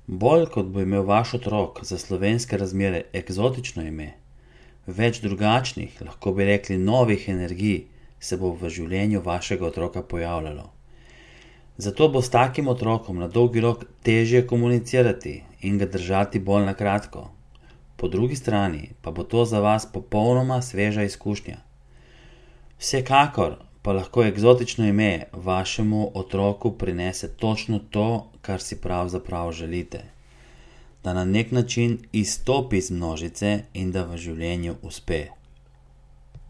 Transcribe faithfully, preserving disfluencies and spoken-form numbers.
Bolj kot bo imel vaš otrok za slovenske razmere eksotično ime, več drugačnih, lahko bi rekli novih energij, se bo v življenju vašega otroka pojavljalo. Zato bo s takim otrokom na dolgi rok težje komunicirati in ga držati bolj na kratko. Po drugi strani pa bo to za vas popolnoma sveža izkušnja. Vsekakor pa lahko eksotično ime vašemu otroku prinese točno to, kar si pravzaprav želite. Da na nek način izstopi iz množice in da v življenju uspe.